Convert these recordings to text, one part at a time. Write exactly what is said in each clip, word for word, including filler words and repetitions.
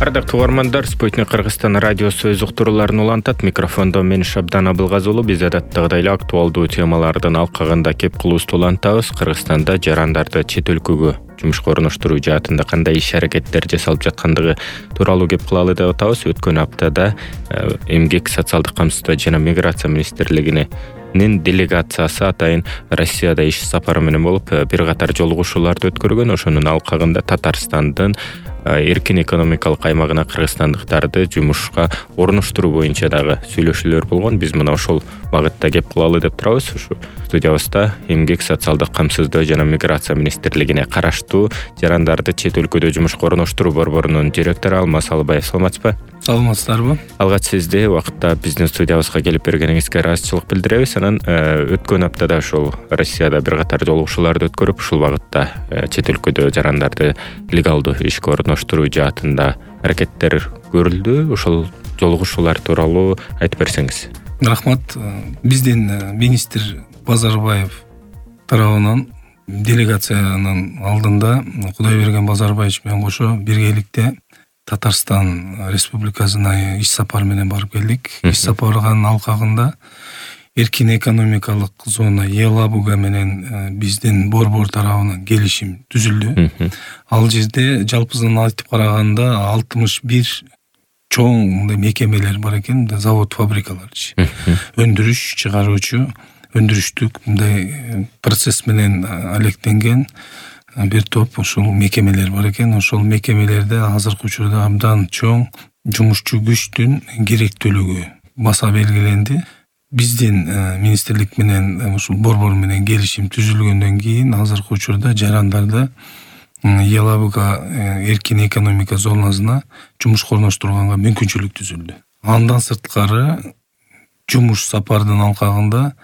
Ардактуу угармандар, Спутник Кыргызстан радиосу өз уктурууларын улантат. Микрофондо мен Шабдан Абылгазы. Биз адаттагыдай эле актуалдуу темалардын алкагында кеп кылуубузду улантабыз. Кыргызстанда жарандарды чет өлкөгө жумушка орноштуруу жаатында кандай иш-аракеттер жасалып жаткандыгы тууралуу кеп кылалы деп атабыз. Өткөн аптада Эмгек, социалдык камсыздоо жана миграция министрлигине нин делегациясы атайын Россияда иш сапары менен болуп, бир катар жолугушууларды өткөргөн. Ошонун алкагында Татарстандын эркин экономикалык аймагына кыргызстандыктарды жумушка орноштуруу боюнча дагы сүйлөшүүлөр болгон. Биз мына ошол багытта кеп кылалы деп турабыз. Ушу студиябызда Эмгек, социалдык камсыздоо жана миграция министрлигине караштуу жарандарды чет өлкөдө жумушка орноштуруу борборунун директору Алмаз Алыбаев. Саламатсызбы? Саламатсыздарбы? Алгач сизди убакытта биздин студиябызга келип бергениңизге ыраазычылык билдиребиз. Анан өткөн аптада ошол Россияда бир катар жолугушууларды өткөрүп, ушул багытта чет өлкөдө жарандарды легалдуу ишке орноштуруу жаатында аракеттер көрүлдү. Ошол жолугушуулар тууралуу айтып берсеңиз. Рахмат. Биздин министр Базарбаев тарабынан делегациянын алдында Кудайберген Базарбаевич менен кошо биргеликте Татарстан Республикасына иш сапар менен барып келдик. Иш сапарынын алкагында эркин экономикалык зона Елабуга менен биздин борбор тарабынан келишим түзүлдү. Ал жерде жалпысынан айтып караганда алтымыш бир чоң мекемелер бар экен, завод, фабрикалар, өндүрүш, чыгаруучу, өндүрүштүк мындай процесс менен алектенген бир топ ошол мекемелер бар экен. Ошол мекемелерде азыркы учурда абдан чоң жумушчу күчтүн керектүүлүгү баса белгиленди. Биздин министрлик менен ушул борбор менен келишим түзүлгөндөн кийин азыркы учурда жарандарды Елабуга эркин экономика зонасына жумушка орноштурганга мүмкүнчүлүк түзүлдү. Андан сырткары жумуш сапардын алкагында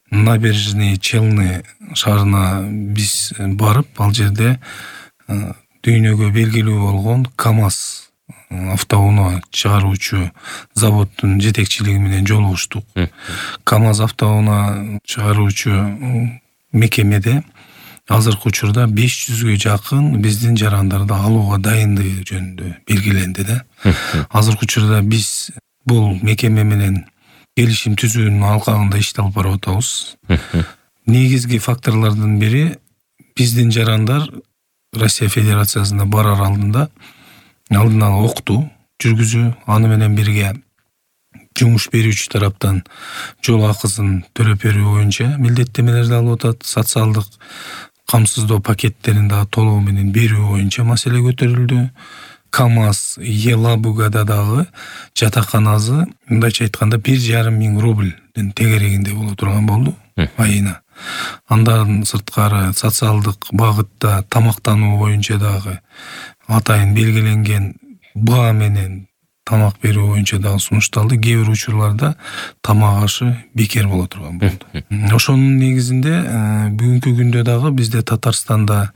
Набережный Челны шаарына биз барып, ал жерде дүйнөгө белгилүү болгон КАМАЗ автоунаа чыгаруучу заводдун жетекчилиги менен жолугуштук. КАМАЗ автоунаа чыгаруучу мекемеде азыркы учурда беш жүзгө жакын биздин жарандарды алууга дайындыгы жөнүндө белгиленди да. Азыркы учурда биз бул мекеме менен келишим түзүүнүн алкагында ишти алып барып атабыз. Негизги факторлордун бири биздин жарандар Россия Федерациясына барар алдында алдын ала окутуу жүргүзүү, аны менен бирге жумуш берүүчү тараптан жол акысын төлөп берүү боюнча милдеттенмелерди алып атат. Социалдык камсыздоо пакеттерин дагы толугу менен берүү боюнча маселе көтөрүлдү. КАМАЗ Елабугада дагы жатаканасы мындайча айтканда бир жарым миң рубльдин тегерегинде боло турган болду айына. Андан сырткары социалдык багытта тамактануу боюнча дагы атайын белгиленген баа менен тамак берүү боюнча дагы сунушталды. Кээ бир учурларда тамак ашы бекер боло турган болду. Ошонун негизинде бүгүнкү күндө дагы бизде Татарстанда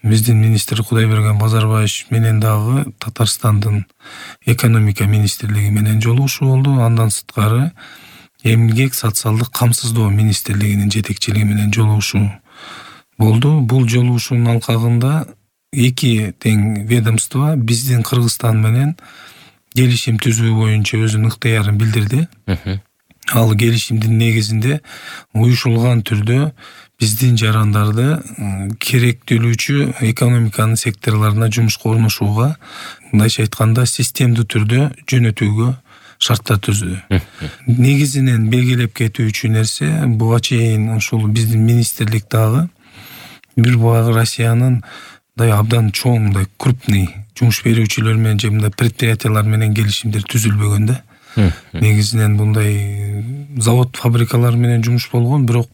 биздин министр Кудайберген Базарбаевич менен дагы Татарстандын экономика министрлиги менен жолугушуу болду. Андан сырткары Эмгек, социалдык камсыздоо министрлигинин жетекчилиги менен жолугушуу болду. Бул жолугушуунун алкагында эки тең ведомство биздин Кыргызстан менен келишим түзүү боюнча өзүнүн ыктыярын билдирди. Ал келишимдин негизинде уюшулган түрдө биздин жарандарды керектүүлүүчү экономиканын секторларына жумушка орношууга, мындайча айтканда, системдүү түрдө жөнөтүүгө шарттар түздү. Негизинен белгилеп кетүүчү нерсе, буга чейин ушул биздин министрлик дагы бир багы Россиянын мындай абдан чоң, мындай крупный жумуш берүүчүлөр менен же мындай предприятиялар менен келишимдер түзүлбөгөн да. Негизинен мындай завод, фабрикалар менен жумуш болгон, бирок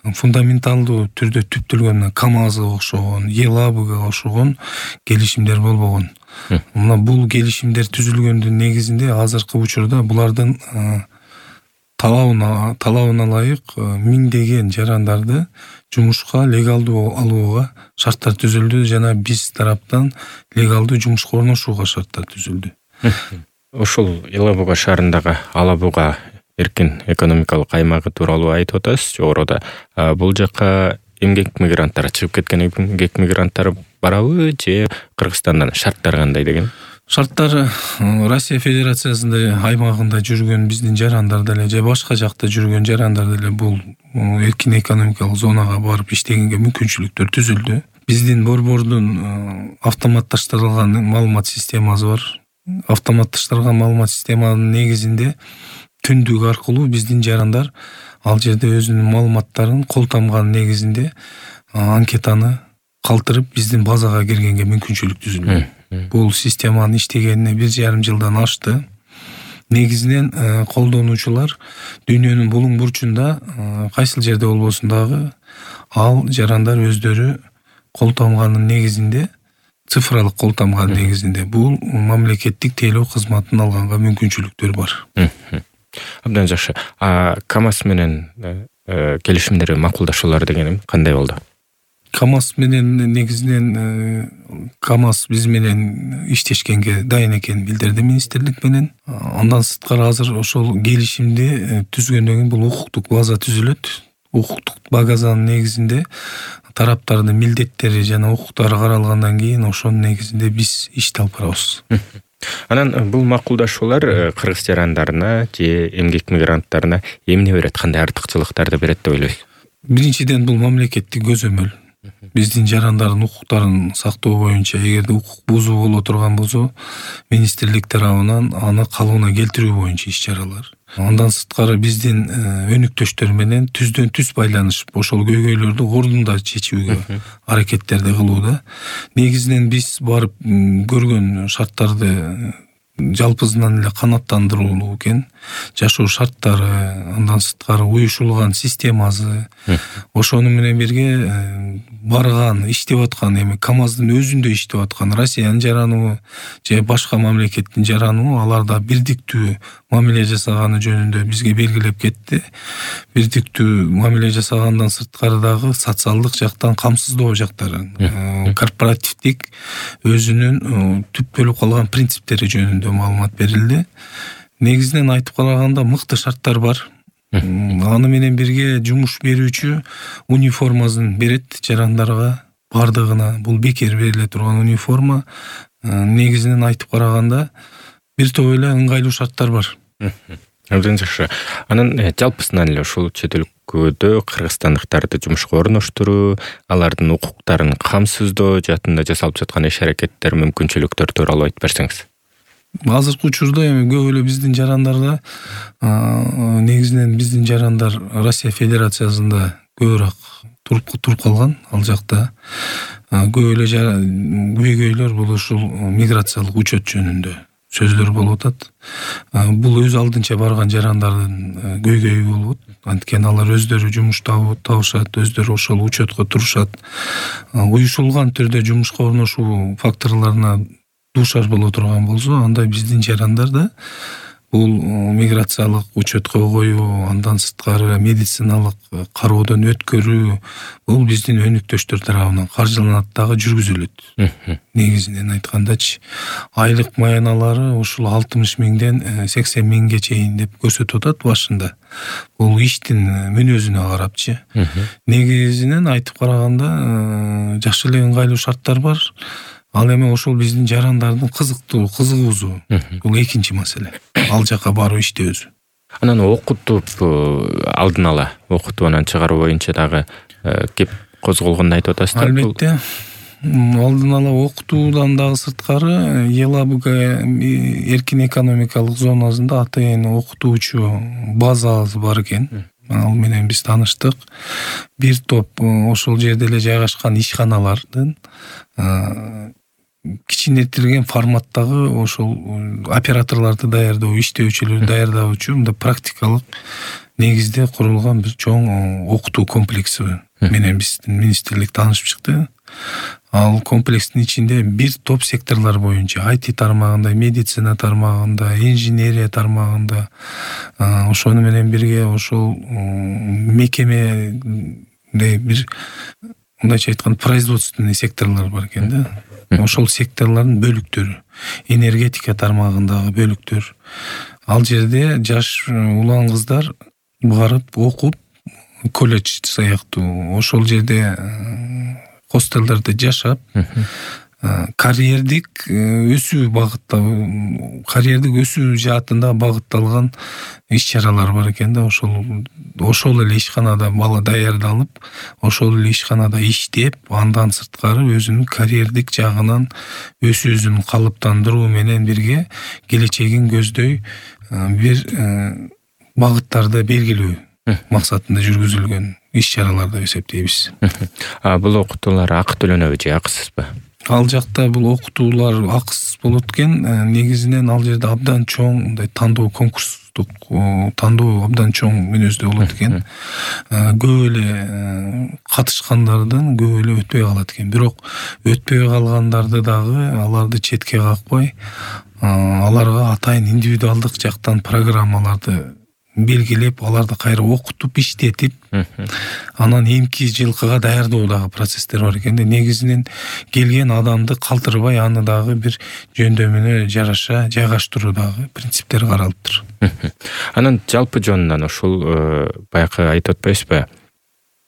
фундаменталдуу түрдө түптөлгөн КАМАЗга окшогон, Елабуга окшогон келишимдер болбогон. Мына бул келишимдер түзүлгөндүн негизинде азыркы учурда булардын талабына талабына ылайык миңдеген жарандарды жумушка легалдуу алууга шарттар түзүлдү жана биз тараптан легалдуу жумушка орношууга шарттар түзүлдү. Ошол Елабуга шаарындагы Алабуга эркин экономикалык аймагы тууралуу айтып атасыз жогоруда. Бул жакка эмгек мигранттары чыгып кеткен эмгек мигранттары барабы же Кыргызстандан шарттар кандай деген? Шарттары Россия Федерациясында аймагында жүргөн биздин жарандар деле же башка жакта жүргөн жарандар деле бул эркин экономикалык зонага барып иштегенге мүмкүнчүлүктөр түзүлдү. Биздин борбордун автоматташтырылган маалымат системасы бар. Автоматташтырылган маалымат системанын негизинде түндүк аркылуу биздин жарандар ал жерде өзүнүн маалыматтарын кол тамган негизинде анкетаны калтырып биздин базага киргенге мүмкүнчүлүк түзүлдү. Бул системанын иштегенине бир жарым жылдан ашты. Негизинен колдонуучулар дүйнөнүн булуң бурчунда кайсыл жерде болбосун дагы ал жарандар өздөрү кол тамганын негизинде, цифралык кол тамганын негизинде бул мамлекеттик тейлөө кызматын алганга мүмкүнчүлүктөр бар. Абдан жакшы. А КАМАЗ менен келишимдер, макулдашуулар дегеним кандай болду? КАМАЗ менен негизинен КАМАЗ биз менен иштешкенге дайын экенин билдирди министрлик менен. Андан сырткары азыр ошол келишимди түзгөндөн кийин бул укуктук база түзүлөт. Укуктук базанын негизинде тараптардын милдеттери жана укуктары каралгандан кийин ошонун негизинде биз ишти алып барабыз. Анан бул макулдашуулар кыргыз жарандарына же эмгек мигранттарына эмне берет, кандай артыкчылыктарды берет деп ойлойсуз? Биринчиден бул мамлекеттик көзөмөл. Биздин жарандардын укуктарын сактоо боюнча эгерде укук бузуу боло турган болсо, министрлик тарабынан аны калыбына келтирүү боюнча иш-чаралар. Андан сырткары биздин өнүктөштөр менен түздөн түз байланышып, ошол көйгөйлөрдү ордунда чечүүгө аракеттерди кылууда. Негизинен биз барып көргөн шарттарды жалпысынан эле канааттандырылуу экен. Жашоо шарттары, андан сырткары уюшулган системасы, ошону менен бирге барган, иштеп аткан эми КАМАЗдын өзүндө иштеп аткан Россиянын жараныбы же башка мамлекеттин жараныбы аларда бирдиктүү мамиле жасаганы жөнүндө бизге белгилеп кетти. Бирдиктүү мамиле жасагандан сырткары дагы социалдык жактан камсыздоо жактары, корпоративдик өзүнүн түптөлүп калган принциптери жөнүндө маалымат берилди. Негизинен айтып караганда мыкты шарттар бар. Аны менен бирге жумуш берүүчү униформасын берет жарандарга, бардыгына. Бул бекер бериле турган униформа. Негизинен айтып караганда бир топ эле ыңгайлуу шарттар бар. Абдан жакшы. Анан жалпысынан эле ушул чет өлкөдө кыргызстандыктарды жумушка орноштуруу, алардын укуктарын камсыздоо жаатында жасалып жаткан иш-аракеттер, мүмкүнчүлүктөр тууралуу айтып берсеңиз. Азыркы учурда эми көп эле биздин жарандарда негизинен биздин жарандар Россия Федерациясында көбүрөөк туруп туруп калган. Ал жакта көп эле көйгөйлөр бул ушул миграциялык учет жөнүндө сөздөр болуп атат. Бул өз алдынча барган жарандардын көйгөйү болот. Анткени алар өздөрү жумуш табышат, өздөрү ошол учетко турушат. Уюшулган түрдө жумушка орношуу факторлоруна дуушар боло турган болсо, анда биздин жарандар да бул миграциялык учетко коюу, андан сырткары медициналык кароодон өткөрүү бул биздин өнүктөштөр тарабынан каржыланат дагы жүргүзүлөт. Негизинен айткандачы, айлык маяналары ушул алтымыш миңден сексен миңге чейин деп көрсөтүп атат башында. Бул иштин мүнөзүнө карапчы. Негизинен айтып караганда жакшы эле ыңгайлуу шарттар бар. Ал эми ошол биздин жарандардын кызыктуу, кызыгуусу. Бул экинчи маселе. Ал жака барып иштөөсү. Анан окутуп алдын ала окутуп анан чыгаруу боюнча дагы кеп козголгонун айтып атасыздар. Албетте. Алдын ала окутуудан дагы сырткары Елабуга эркин экономикалык зонасында атайын окутуучу базасы бар экен. Ал менен биз тааныштык. Бир топ ошол жерде эле жайгашкан ишканалардын кичинетилген форматтагы ошол операторлорду даярдоо, иштөөчүлөрдү даярдоочу мындай практикалык негизде курулган бир чоң окутуу комплекси менен биздин министрлик таанышып чыкты. Ал комплекстин ичинде бир топ секторлор боюнча ай ти тармагында, медицина тармагында, инженерия тармагында, ошону менен бирге ошол мекеме бир мындайча айтканда производственный секторлор бар экен да. Ошол секторлордун бөлүктөрү, энергетика тармагындагы бөлүктөр. Ал жерде жаш улан кыздар барып окуп, колледж сыяктуу ошол жерде хостелдерде жашап, карьердик өсүү багытта карьердик өсүү жаатында багытталган иш чаралар бар экен да. Ошол ошол эле ишканада бала даярдалып, ошол эле ишканада иштеп, андан сырткары өзүнүн карьердик жагынан өсүүсүн калыптандыруу менен бирге келечегин көздөй бир багыттарды белгилөө максатында жүргүзүлгөн иш чаралар деп эсептейбиз. А бул окутуулар акы төлөнөбү же акысызбы? Ал жакта бул окутуулар акысыз болот экен. Негизинен ал жерде абдан чоң мындай тандоо конкурстук тандоо абдан чоң мүнөздө болот экен. Көп эле катышкандардын көп эле өтпөй калат экен. Бирок өтпөй калгандарды дагы аларды четке какпай, аларга атайын индивидуалдык жактан программаларды белгилеп, аларды кайра окутуп, иштетип, анан эмки жылкыга даярдоодагы процесстер бар экен. Негизинен келген адамды калтырбай, аны дагы бир жөндөмүнө жараша жайгаштыруудагы принциптер каралыптыр. Анан жалпы жонунан ушул баягы айтып атпайсызбы?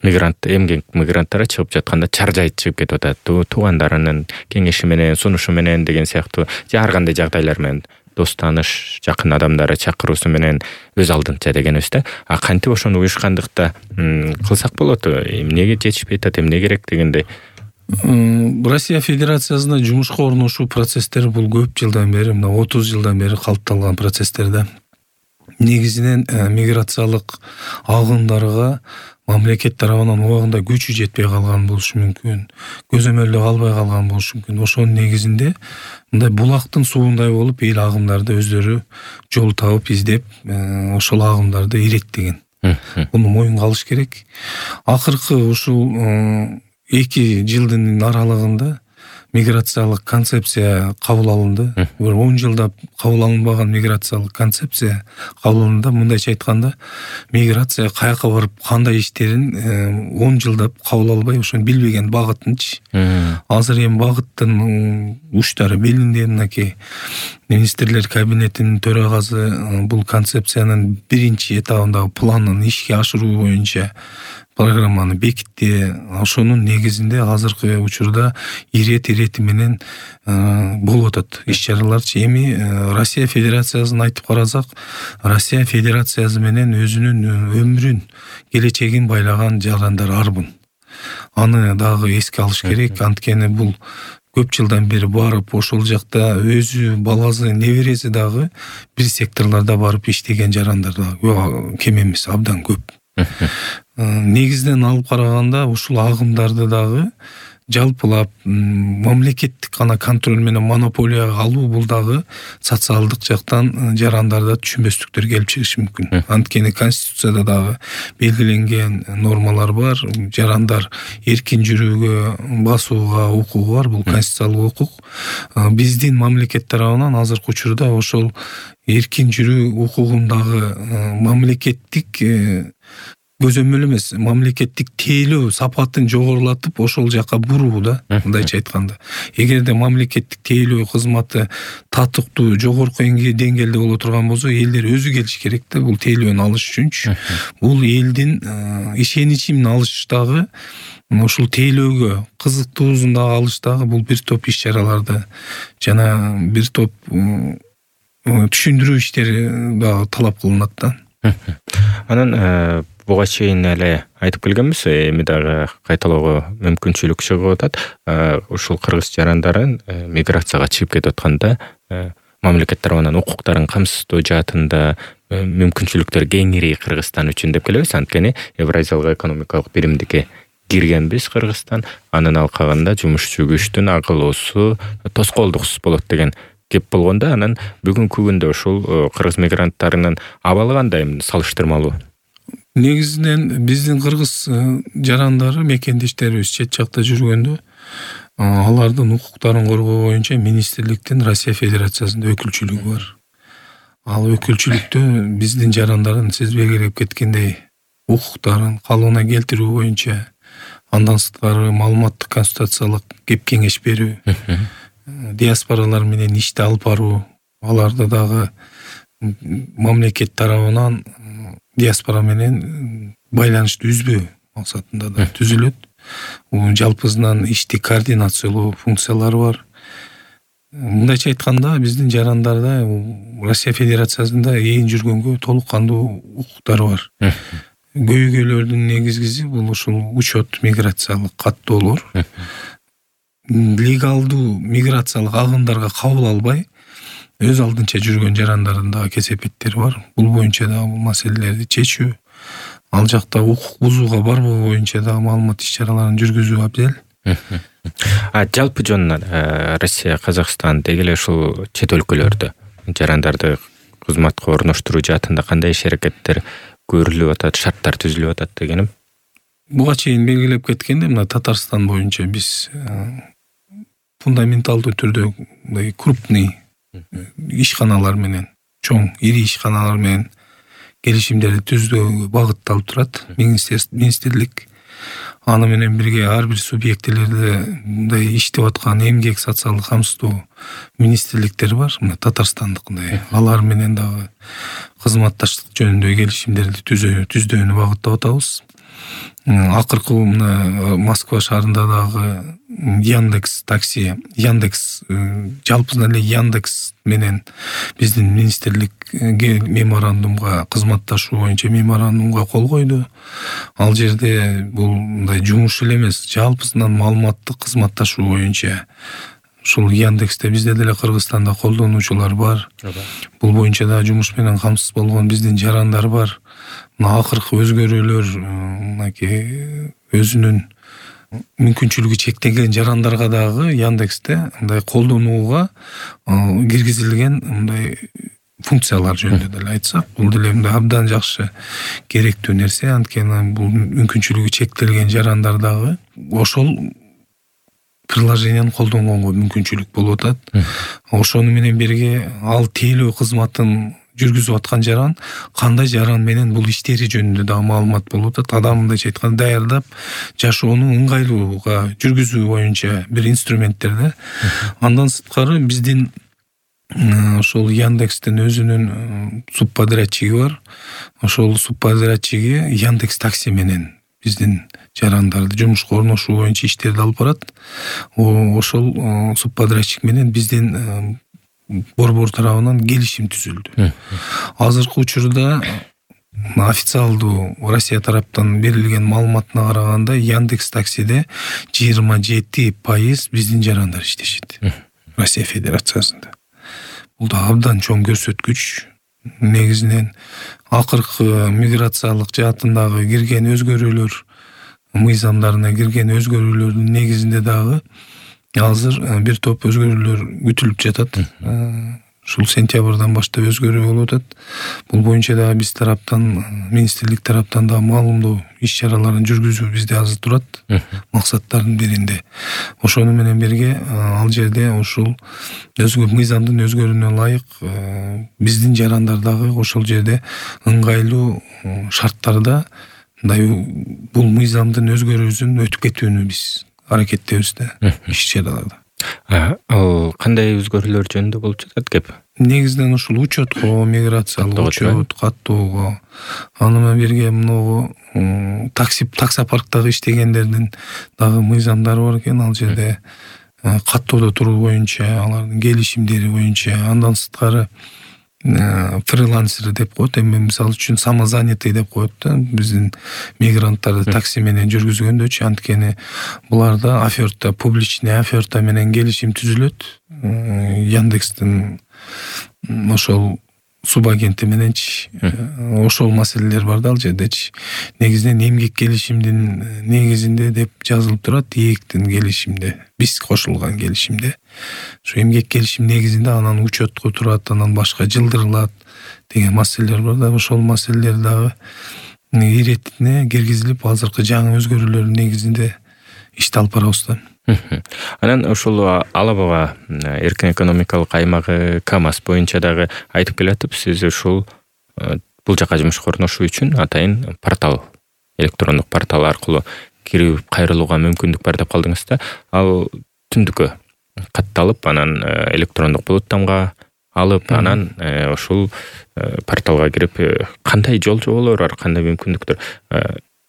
Мигрант, эмгек мигранттар чыгып жатканда чаржайып чыгып кетип атат. Туугандарынын кеңеши менен, сунушу менен деген сыяктуу ар кандай жагдайлар менен дос тааныш, жакын адамдары чакыруусу менен өз алдынча дегенибиз да. А кантип ошону уюшкандыкта кылсак болот? Эмнеге жетишпей атат, эмне керек дегендей. Россия Федерациясында жумушка орношуу процесстери бул көп жылдан бери, мына отуз жылдан бери калыпталган процесстер да. Негизинен миграциялык агымдарга мамлекет тарабынан убагында күчү жетпей калган болушу мүмкүн, көзөмөлдө калбай калган болушу мүмкүн. Ошонун негизинде мындай булактын сууундай болуп, эл агымдарды өздөрү жол табып, издеп, ошол агымдарды иреттеген. Муну моюнга алыш керек. Акыркы ушул эки жылдын аралыгында миграциялык концепция кабыл алынды. Бир он жылда кабыл алынбаган миграциялык концепция кабыл алынды. Мындайча айтканда, миграция каяка барып кандай иштерин он жылда кабыл албай, ошону билбеген багытынчы. Азыр эми багыттын учтары белгиленди. Мынакей министрлер кабинетинин төрагасы бул концепциянын биринчи этабындагы планын ишке ашыруу боюнча программаны бекитти. Ошонун негизинде азыркы учурда ирет ирети менен болуп атат иш чараларчы. Эми Россия Федерациясын айтып карасак, Россия Федерациясы менен өзүнүн өмүрүн, келечегин байлаган жарандар арбын. Аны дагы эске алыш керек. Анткени бул көп жылдан бери барып, ошол жакта өзү, баласы, небереси дагы бир секторлордо барып иштеген жарандар дагы кем эмес, абдан көп. Негизинен алып караганда ушул агымдарды дагы жалпылап мамлекеттик гана контроль менен монополияга алуу бул дагы социалдык жактан жарандарда түшүнбөстүктөр келип чыгышы мүмкүн. Анткени Конституцияда дагы белгиленген нормалар бар. Жарандар эркин жүрүүгө, басууга укугу бар. Бул конституциялык укук. Биздин мамлекет тарабынан азыркы учурда ошол эркин жүрүү укугундагы мамлекеттик көзөмөл эмес, мамлекеттик тейлөө сапатын жогорулатып, ошол жака буруу да, мындайча айтканда. Эгерде мамлекеттик тейлөө кызматы татыктуу, жогорку деңгээлде боло турган болсо, элдер өзү келиш керек да, бул тейлөөнү алыш үчүнчү. Бул элдин ишеничин алыштагы, ушул тейлөөгө кызыктуусун дагы алыштагы бул бир топ иш чараларды жана бир топ түшүндүрүү иштери дагы талап кылынат да. Анан буга чейин эле айтып келгенбиз, эми дагы кайталоого мүмкүнчүлүк чыгып атат. Ушул кыргыз жарандарын миграцияга чыгып кетип атканда мамлекет тарабынан укуктарын камсыздоо жаатында мүмкүнчүлүктөр кеңири Кыргызстан үчүн деп келебиз. Анткени Евразиялык экономикалык биримдикке киргенбиз Кыргызстан, анын алкагында жумушчу күчтүн агылуусу тоскоолдуксуз болот деген кеп болгондо, анан бүгүнкү күндө ушул кыргыз мигранттарынын абалы кандай салыштырмалуу? Негизинен биздин кыргыз жарандары, мекендештерибиз чет жакта жүргөндө алардын укуктарын коргоо боюнча министрликтин Россия Федерациясында өкүлчүлүгү бар. Ал өкүлчүлүктө биздин жарандардын сиз белгилеп кеткендей укуктарын калыбына келтирүү боюнча, андан сырткары маалыматтык консультациялык кеп кеңеш берүү, диаспоралар менен ишти алып баруу, аларды дагы мамлекет тарабынан диаспора менен байланышты үзбөө максатында да түзүлөт. жалпысынан ишти координациялоо функциялары бар. Мындайча айтканда биздин жарандарда Россия Федерациясында ээн жүргөнгө толук кандуу укуктары бар. Көйгөйлөрдүн негизгиси бул ушул учет миграциялык каттоолор. Легалдуу миграциялык агымдарга кабыл албай өз алдынча жүргөн жарандардын дагы кесепеттери бар. Бул боюнча дагы бул маселелерди чечүү, ал жакта укук бузууга барбоо боюнча дагы маалымат иш-чараларын жүргүзүү абзел. А жалпы жонунан Россия, Казакстан деги эле ушул чет өлкөлөрдө жарандарды кызматка орноштуруу жаатында кандай иш-аракеттер көрүлүп атат, шарттар түзүлүп атат дегеним? Буга чейин белгилеп кеткендей, мына Татарстан боюнча биз фундаменталдуу түрдө мындай крупный ишканалар менен, чоң ири ишканалар менен келишимдерди түзүүгө багытталып турат. Министрлик аны менен бирге ар бир субъектилерде мындай иштеп аткан эмгек социалдык камсыздоо министрликтери бар. Мына Татарстандыкындай алар менен дагы кызматташтык жөнүндө келишимдерди түздүүнү багыттап атабыз. Акыркы мына Москва шаарында дагы Яндекс такси, Яндекс жалпысынан эле Яндекс менен биздин министрлик меморандумга, кызматташуу боюнча меморандумга кол койду. Ал жерде бул мындай жумуш эле эмес, жалпысынан маалыматтык кызматташуу боюнча ушул Яндексте бизде деле Кыргызстанда колдонуучулар бар. Бул боюнча да жумуш менен камсыз болгон биздин жарандар бар. Мына акыркы өзгөрүүлөр мынакей өзүнүн мүмкүнчүлүгү чектелген жарандарга дагы Яндексте мындай колдонууга киргизилген мындай функциялар жөнүндө деле айтсак, бул деле мындай абдан жакшы керектүү нерсе. Анткени бул мүмкүнчүлүгү чектелген жарандар дагы ошол приложениени колдонгонго мүмкүнчүлүк болуп атат. Ошону менен бирге ал тейлөө кызматын жүргүзүп аткан жаран кандай жаран менен бул иштери жөнүндө дагы маалымат болуп атат. Адам мындайча айтканда даярдап жашоону ыңгайлууга жүргүзүү боюнча бир инструменттер да. Андан сырткары биздин ошол Яндекстин өзүнүн субподрядчиги бар. Ошол субподрядчиги Яндекс такси менен биздин жарандарды жумушка орношуу боюнча иштерди алып барат. Ошол субподрядчик менен биздин борбор тарабынан келишим түзүлдү. Азыркы учурда официалдуу Россия тараптан берилген маалыматына караганда Яндекс таксиде жыйырма жети пайыз биздин жарандар иштешет. Россия Федерациясында. Бул да абдан чоң көрсөткүч. Негизинен акыркы миграциялык жаатындагы кирген өзгөрүүлөр, мыйзамдарына кирген өзгөрүүлөрдүн негизинде дагы азыр бир топ өзгөрүүлөр күтүлүп жатат. Ушул сентябрдан баштап өзгөрүү болуп атат. Бул боюнча дагы биз тараптан, министрлик тараптан дагы маалымдоо иш-чараларын жүргүзүү бизде азыр турат. Максаттардын биринде. Ошону менен бирге ал жерде ушул өзгөр мыйзамдын өзгөрүүнө ылайык биздин жарандар дагы ошол жерде ыңгайлуу шарттарда мындай бул мыйзамдын өзгөрүүсүн өтүп кетүүнү биз аракеттебиз да иш-чараларда. Ал кандай өзгөрүүлөр жөнүндө болуп жатат кеп? Негизинен ушул учетко, миграциялык учет, каттоого, аны менен бирге могу такси таксопарктагы иштегендердин дагы мыйзамдары бар экен. Ал жерде каттоодо туруу боюнча, алардын келишимдери боюнча, андан сырткары фрилансер деп коет. Эми мисалы үчүн самозанятый деп коет да. Биздин мигранттарды такси менен жүргүзгөндөчү, анткени буларда оферта, публичный оферта менен келишим түзүлөт. Яндекстин ошол субагенти мененчи ошол маселелер бар да ал жердечи. Негизинен эмгек келишимдин негизинде деп жазылып турат, ээктин келишимде, биз кошулган келишимде. Ошо эмгек келишим негизинде анан учетко турат, анан башка жылдырылат деген маселелер бар да. Ошол маселелер дагы иретине киргизилип, азыркы жаңы өзгөрүүлөрдүн негизинде ишти алып барабыз да. Анан ошол Алабага эркин экономикалык аймагы КАМАЗ боюнча дагы айтып келатып, сиз ушул бул жака жумушка орношуу үчүн атайын портал, электрондук портал аркылуу кирип кайрылууга мүмкүндүк бар деп калдыңыз да. Ал түндүккө катталып, анан электрондук булуттамга алып, анан ушул порталга кирип кандай жол жоболор бар, кандай мүмкүндүктөр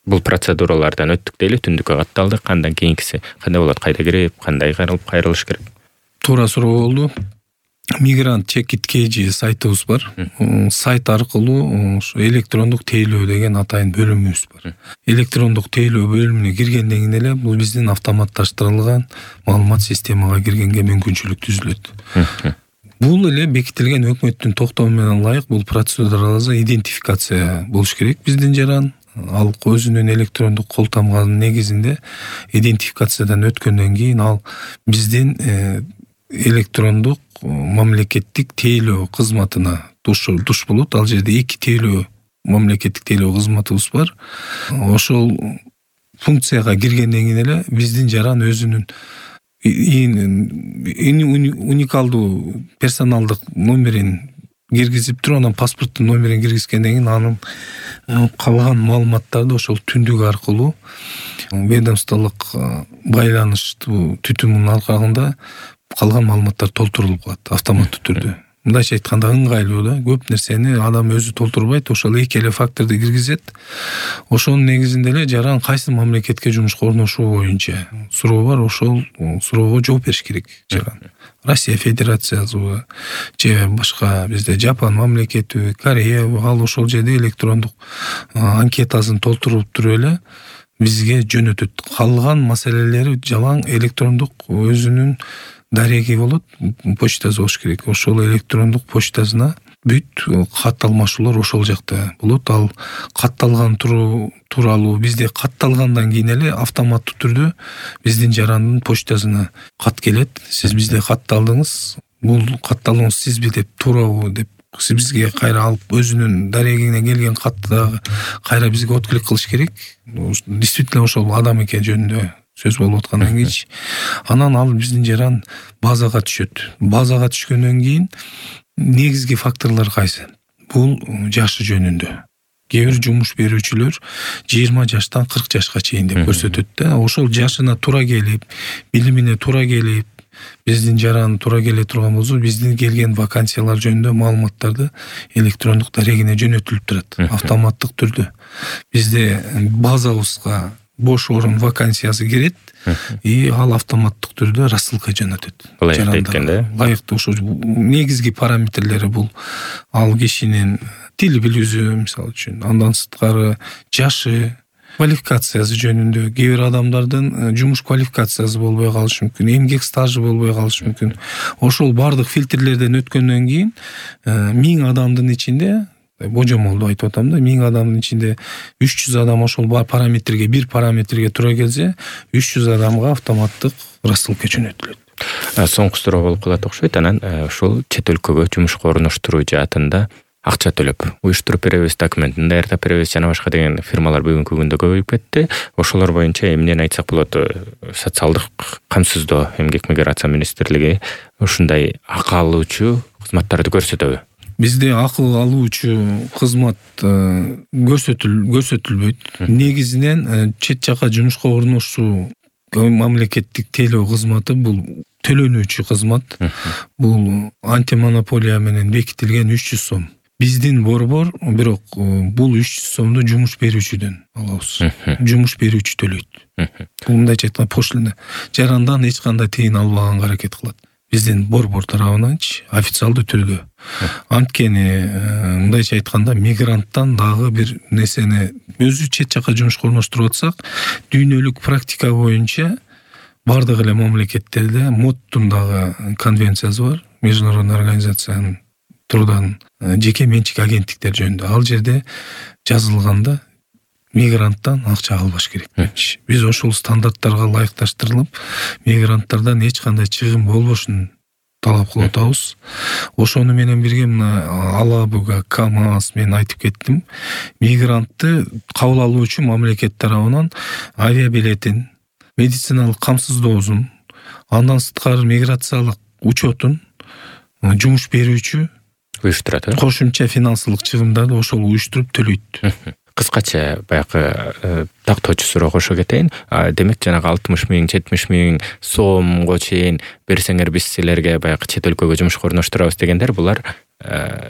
Бул процедуралардан өттүк дейли, түндүккө катталдык. Андан кийинкиси кандай болот? Кайда кирип, кандай кайрылып кайрылыш керек? Туура суроо болду. Мигрант чекит kg сайтыбыз бар. Сайт аркылуу ушу электрондук тейлөө деген атайын бөлүмүбүз бар. Электрондук тейлөө бөлүмүнө киргенден кийин эле бул биздин автоматташтырылган маалымат системага киргенге мүмкүнчүлүк түзүлөт. Бул эле бекитилген өкмөттүн токтому менен ылайык бул процедураларга идентификация болуш керек биздин жаран. Ал өзүнүн электрондук кол тамганын негизинде идентификациядан өткөндөн кийин ал биздин электрондук мамлекеттик тейлөө кызматына туш туш болот. Ал жерде эки тейлөө мамлекеттик тейлөө кызматыбыз бар. Ошол функцияга киргенден кийин эле биздин жаран өзүнүн уникалдуу персоналдык номерин киргизип туруп, анан паспорттун номерин киргизгенден кийин анын калган маалыматтарды ошол түндүк аркылуу ведомстволук байланыштуу түтүмүнүн аркагында калган маалыматтар толтурулуп калат автоматтуу түрдө. Мындайча айтканда ыңгайлуу да, көп нерсени адам өзү толтурбайт, ошол эки эле факторду киргизет. Ошонун негизинде эле жаран кайсы мамлекетке жумушка орношуу боюнча суроо бар, ошол суроого жооп бериш керек жаран. Россия Федерациясыбы же башка бизде Жапон мамлекети, Корея, ал ошол жерде электрондук анкетасын толтуруп туруп эле бизге жөнөтөт. Калган маселелери жалаң электрондук өзүнүн дареги болот, почтасы болуш керек. Ошол электрондук почтасына бүт кат алмашуулар ошол жакта болот. Ал катталган тууралуу бизде катталгандан кийин эле автоматтуу түрдө биздин жарандын почтасына кат келет. Сиз бизде катталдыңыз, бул катталууңуз сизби деп, туурабы деп сиз бизге кайра алып өзүнүн дарегине келген катты кайра бизге отклик кылыш керек. Действительно ошол адам экен жөнүндө сөз болуп аткандан кийин анан ал биздин жаран базага түшөт. Базага түшкөндөн кийин негизги факторлор кайсы? Бул жашы жөнүндө. Кээ бир жумуш берүүчүлөр жыйырма жаштан кырк жашка чейин деп көрсөтөт да. Ошол жашына туура келип, билимине туура келип, биздин жаран туура келе турган болсо, биздин келген вакансиялар жөнүндө маалыматтарды электрондук дарегине жөнөтүлүп турат автоматтык түрдө. Бизде базабызга бош орун вакансиясы кирет, и ал автоматтык түрдө рассылка жөнөтөт. Жарандык лайыктуу ошо негизги параметрлери бул ал кишинин тил билүүсү, мисалы үчүн, андан сырткары жашы, квалификациясы жөнүндө. Кээ бир адамдардын жумуш квалификациясы болбой калышы мүмкүн, эмгек стажы болбой калышы мүмкүн. Ошол бардык фильтрлерден өткөндөн кийин миң адамдын ичинде, божомолду айтып атам да, миң адамдын ичинде үч жүз адам ошол параметрге, бир параметрге туура келсе, үч жүз адамга автоматтык рассылка жөнөтүлөт. Соңку суроо болуп калат окшойт. Анан ушул чет өлкөгө жумушка орноштуруу жаатында акча төлөп уюштуруп беребиз, документин даярдап беребиз жана башка деген фирмалар бүгүнкү күндө көбөйүп кетти. Ошолор боюнча эмнени айтсак болот? Социалдык камсыздоо, эмгек миграция министрлиги ушундай акы алуучу кызматтарды көрсөтөбү? Бизде акыл алуучу кызмат көрсөтүлбөйт. Негизинен чет жака жумушка орношуу мамлекеттик тейлөө кызматы бул төлөнүүчү кызмат. Бул антимонополия менен бекитилген үч жүз сом. Биздин борбор, бирок бул үч жүз сомду жумуш берүүчүдөн алабыз. Жумуш берүүчү төлөйт. Бул мындайча айтканда пошлина. Жарандан эч кандай тыйын албаганга аракет кылат. Биздин борбор тарабынанчы официалдуу түрдө. Анткени мындайча айтканда мигранттан дагы бир нерсени өзү чет жака жумушка орноштуруп атсак, дүйнөлүк практика боюнча бардык эле мамлекеттерде МОДтун дагы конвенциясы бар, Международный организациянын труддан жеке менчик агенттиктер жөнүндө. Ал жерде жазылганда мигранттан акча албаш керек. Биз ошол стандарттарга ылайыкташтырылып, мигранттардан эч кандай чыгым болбошун талап кылып атабыз. Ошону менен бирге мына Алабуга, КАМАЗ мен айтып кеттим. Мигрантты кабыл алуучу мамлекет тарабынан авиабилетин, медициналык камсыздоосун, андан сырткары миграциялык учетун жумуш берүүчү уюштурат. Кошумча финансылык чыгымдарды ошол уюштуруп төлөйт. Кыскача баягы тактоочу суроо кошо кетейин. Демек жанагы алтымыш миң, жетимиш миң сомго чейин берсеңер биз силерге баягы чет өлкөгө жумушка орноштурабыз дегендер, булар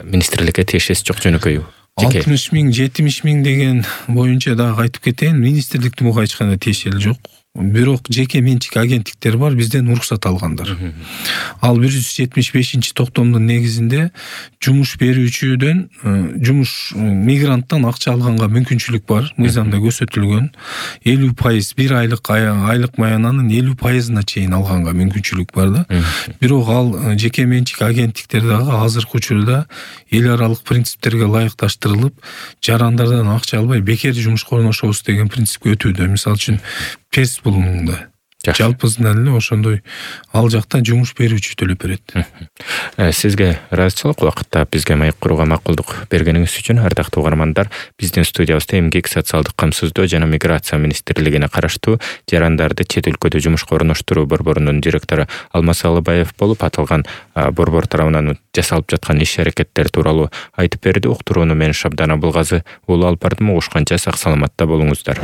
министрликке тиешеси жок жөнөкөйү. алтымыш миң жетимиш миң деген боюнча дагы айтып кетейин, министрликтин буга эч кандай тиешели жок. Бирок жеке менчик агенттиктер бар, бизден уруксат алгандар. Ал бир жүз жетимиш бешинчи токтомдун негизинде жумуш берүүчүдөн жумуш мигранттан акча алганга мүмкүнчүлүк бар. Мыйзамда көрсөтүлгөн элүү пайыз бир айлык айлык маянанын элүү пайызына чейин алганга мүмкүнчүлүк бар да. Бирок ал жеке менчик агенттиктер дагы азыркы учурда эл аралык принциптерге ылайыкташтырылып, жарандардан акча албай бекер жумушка орношобуз деген принципке өтүүдө. Мисалы үчүн ПЕС булумунда жалпысынан эле ошондой ал жакта жумуш берүүчү төлөп берет. Сизге ыраазычылык убакытта бизге маек курууга макулдук бергениңиз үчүн ардактуу угармандар, биздин студиябызда эмгек, социалдык камсыздоо жана миграция министрлигине караштуу жарандарды чет өлкөдө жумушка орноштуруу борборунун директору Алмаз Алыбаев болуп, аталган борбор тарабынан жасалып жаткан иш-аракеттер тууралуу айтып берди. Уктурууну мен Шабдан Абылгазы уулу алып бардым. Угушканча сак саламатта болуңуздар.